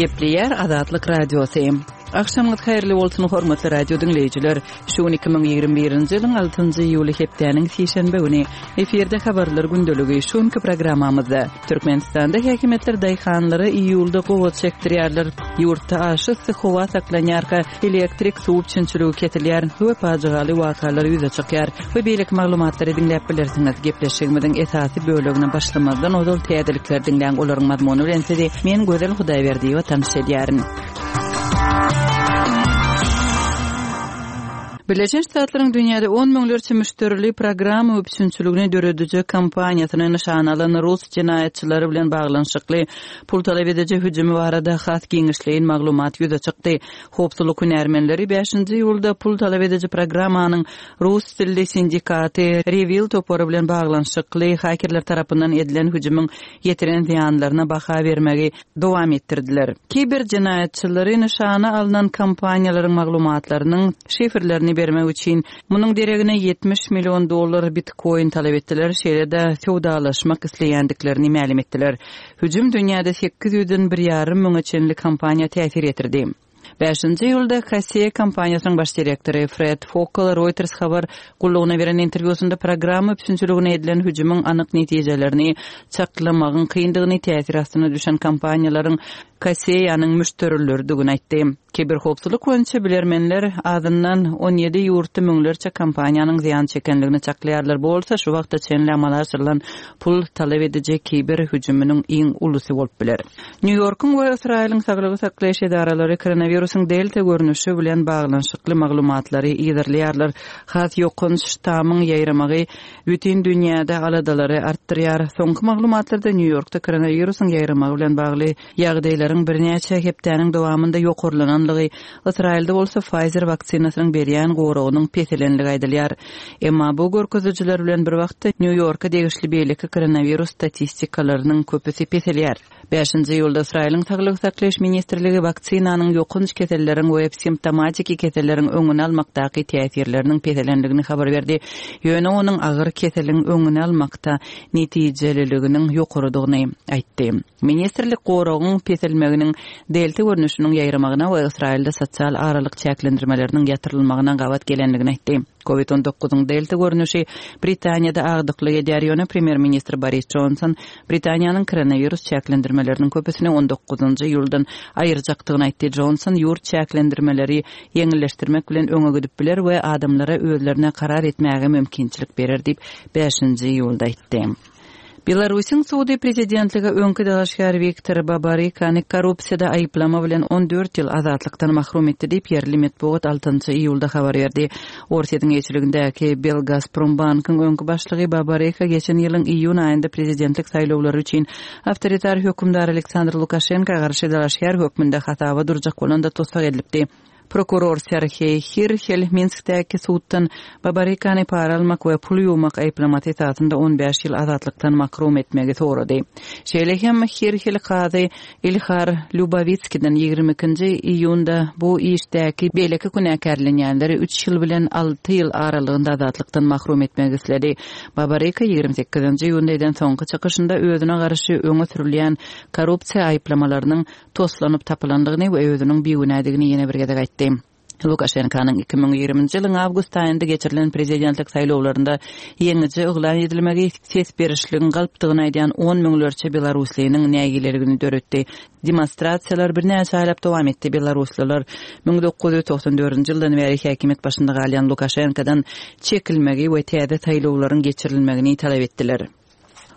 Gepleýär Azatlyk Radiosy. Agşamyňyz haýyrly bolsun, hormatly radio diňleýjiler. Şu gün 2021-nji ýylyň 6-njy iýuly hepdäniň sişenbe güni. Efirde habarlar gündeligi. Şu günki programmamyzda Türkmenistanda häkimiýetler daýhanlara iýulda gowaça ekdirýärler. Ýurtda aşa yssy howa saklanýarka, elektrik, suw üpjünçiligi kesilýär we pajygaly wakalar ýüze çykýar we beýleki maglumatlary diňläp bilersiňiz. Gepleşigimiziň esasy bölegine başlamazdan ozal täzelikleri diňläň, olaryň mazmuny bilen sizi men Gözel Hudaýberdiýewa tanyş edýärin. Birleşen Ştatlaryň dünýäde on müňlerçe müşderili programma üpjünçiligini dörediji kompaniýasyny nyşana alan rus jenaýatçylary bilen baglanyşykly pul talap ediji hüjümi barada has giňişleýin maglumat ýüze çykdy. Howpsuzlyk hünärmenleri bäşinji iýulda pul talap ediji programmanyň rus dilli sindikaty REvil topary bilen baglanyşykly hakerler tarapyndan edilen hüjümiň ýetiren zyýanlaryna baha bermegi dowam etdirdiler. Kiber jenaýatçylary nyşana alnan kompaniýalaryň maglumatlarynyň şifrlerini bermek üçin munuň deregine 70 million dollar bitkoin talap etdiler, şeýle-de söwdalaşmak isleýändiklerini mälim etdiler. Hüjüm dünýäde sekiz ýüzden bir ýarym müňe çenli kompaniýa täsir ýetirdi. Bäşinji iýulda Kaseya kompaniýasynyň baş direktory Fred Fokal Reuters habar gullugyna beren interwýusynda programma üpjünçiligine edilen hüjümiň anyk netijelerini çaklamagyň kyndygyny, täsir astyna düşen kompaniýalaryň Kaseya-nyň müşderileridigini aýtdy. Kiberhowpsuzlyk boýunça bilermenler azyndan 17 ýurtda müňlerçe kompaniýanyň zyýan çekendigini çaklaýarlar, bu bolsa şu wagta çenli amala aşyrylan pul talap ediji kiber hüjüminiň iň ulusy bolup biler. Nýu-Ýorkuň we Ysraýylyň saglygy saklaýyş edaralary koronawirusyň Delta görnüşi bilen baglanyşykly maglumatlary yzarlaýarlar. Has ýokanç ştamyň ýaýramagy bütin dünýäde aladalary artdyrýar. Soňky maglumatlarda Nýu-Ýorkda koronawirusyň ýaýramagy bilen bagly ýagdaýlaryň birnäçe hepdäniň dowamynda ýokarlananlygy, Ysraýylda bolsa Pfizer waksinasynyň berýän goragynyň peselenligi aýdylýar. Emma bu görkezijiler bilen bir wagtda Nýu-Ýorka degişli beýleki koronawirus statistikalarynyň köpüsi peselýär. Bäşinji iýulda Ysraýylyň Saglygy saklaýyş ministrligi waksinanyň ýokanç keselleriň we simptomatiki keselleriň öňüni almakdaky täsirleriniň peselendigini habar berdi, ýöne onuň agyr keseliň öňüni almakda netijeliliginiň ýokarydygyny aýtdy. Ministrlik goragyň peselmeginiň delta görnüşiniň ýaýramagyna we Ysraýylda sosial aralyk çäklendirmeleriniň ýatyrylmagyna gabat gelendigini aýtdy. Covid on dokuzyň delta görnüşi Britaniýada agdyklyk edýär, ýöne premýer-ministr Boris Jonson Britaniýanyň koronawirus çäklendirmeleriniň köpüsini on dokuzynjy iýuldan aýyrjakdygyny aýtdy. Jonson ýurt çäklendirmeleri ýeňilleşdirmek bilen öňe gidip biler we adamlara özlerine karar etmäge mümkinçilik berer diýip, bäşinji iýulda aýtdy. Belarusyň sudy prezidentlige öňki dalaşgär Wiktor Babarykany korrupsiýada aýyplama bilen 14 ýyl azatlykdan mahrum etdi diýip, ýerli metbugat altynjy iýulda habar berdi. Orsýetiň eýeçiligindäki Belgazprombankyň öňki başlygy Babaryka geçen ýylyň iýun aýynda prezidentlik saýlawlary üçin awtoritar hökümdar Aleksandr Lukaşenka garşy dalaşgär hökmünde hasaba durjak bolanda tussag edilipdi. Prokuror Serheý Hirhel Minskdäki suddan Babarykany para almak we pul ýuwmak aýyplamasy esasynda 15 ýyl azatlykdan makrum etmegi sorady. Şeýle hem Hirhel kazy Ilhar Lýubowitskiden 22-nji iýunda bu işdäki beýleki günäkärlenýänleri üç ýyl bilen alty ýyl aralygynda azatlykdan mahrum etmegi isledi. Babaryka 28-nji iýunda eden soňky çykyşynda özüne garşy öňe sürülýän korrupsiýa aýyplamalarynyň toslanyp tapylandygyny we özüniň bigünädigini ýene bir gezek aýtdy. Lukaşenkanyň 2020-nji ýylyň awgust aýynda geçirilen prezidentlik saýlawlarynda ýeňiji yglan edilmegi ses berişligiň galpdygyny aýdýan on müňlerçe belaruslynyň nägileligini döretdi. Demonstrasiýalar birnäçe aýlap dowam etdi, belaruslylar 1994-nji ýyldan bäri häkimiýet başynda galýan Lukaşenkadan çekilmegi we täze saýlawlaryň geçirilmegini talap etdiler.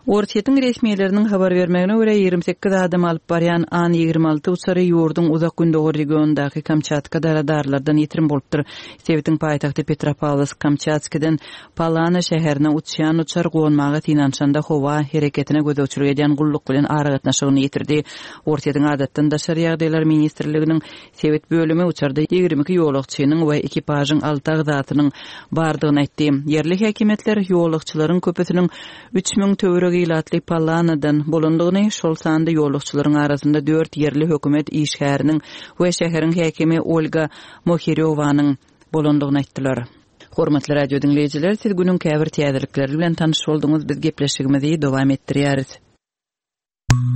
Orsýetiň resmileriniň habar bermegine görä, 28 adamy alyp barýan An 26 uçary ýurduň Uzak Gündogar regionyndaky Kamçatkada radarlardan ýitirim bolupdyr. Sebitiň paýtagty Petropawlowsk-Kamçatskiden Palana şäherine uçýan uçar gonmaga synanyşanda howa hereketine gözegçilik edýän gulluk bilen aragatnaşygyny ýitirdi. Orsýetiň Adatdan daşary ýagdaýlar ministrliginiň Sebit bölümi uçarda 22 ýolagçynyň we ekipažyň alty agzasynyň bardygyny aýtdy. Ýerli häkimiýetler ýolagçylaryň köpüsiniň 3000 töweregi ilatly Palanadan bolandygyny, şol sanda ýolagçylaryň arasynda dört ýerli hökümet işgäriniň we şäheriň häkimi Olga Mohirýowanyň bolandygyny aýtdylar. Hormatly radio diňleýjiler, siz günüň käbir täzelikleri bilen tanyş bolduňyz, biz gepleşigimizi dowam etdirýäris.